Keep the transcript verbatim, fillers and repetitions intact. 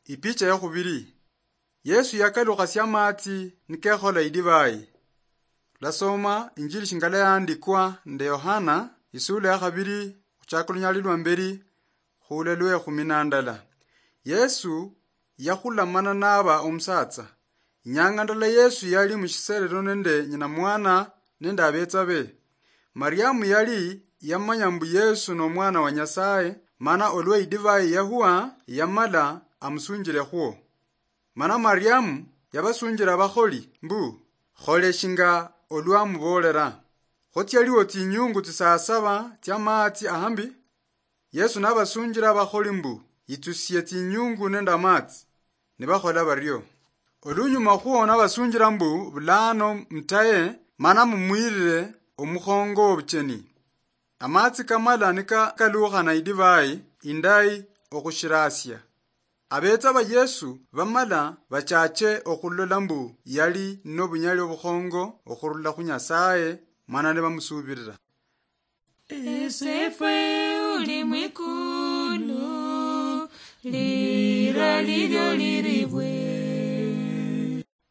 Ipicha ya khubiri. Yesu yakalukhasia amatsi nikekhola idivai. Lasoma injili shingala yaandikwa nde Yohana, isula ya khabiri, khuchaka lunyali lwa mberi, khula lwe khumi na ndala. Yesu yakhulamana naba omusatsa. Inyanga ndala Yesu yali mushiserero nende nyina mwana nende abetsa be. Mariamu yali yamanya mbu Yesu nomwana wa Nyasaye, mana olwa idivai yahua yamala amusunjirekhwo. Mana Mariamu yabasunjira abakholi mbu, "Khole shinga olwa mubolera." Kho tsialiwo tsinyungu tsisaa saba tsiamatsi ahambi. Yesu nabasunjira abakholi mbu, "Yitsusie tsinyungu nende amatsi." Nibakhola bario. Olunyuma khwo nabasunjira mbu, "Bulano mutaye, mana mumwirire omukhongo wobucheni." Amatsi kamala nikakalukhana idivai indayi okhushirasia. Abetsa ba Yesu bamala bachache okhulola mbu yali nobunyali obukhongo okhurula khu Nyasaye, mana nibamusubirira. Esefwe uli mwikulu, lira lilyo liribwe.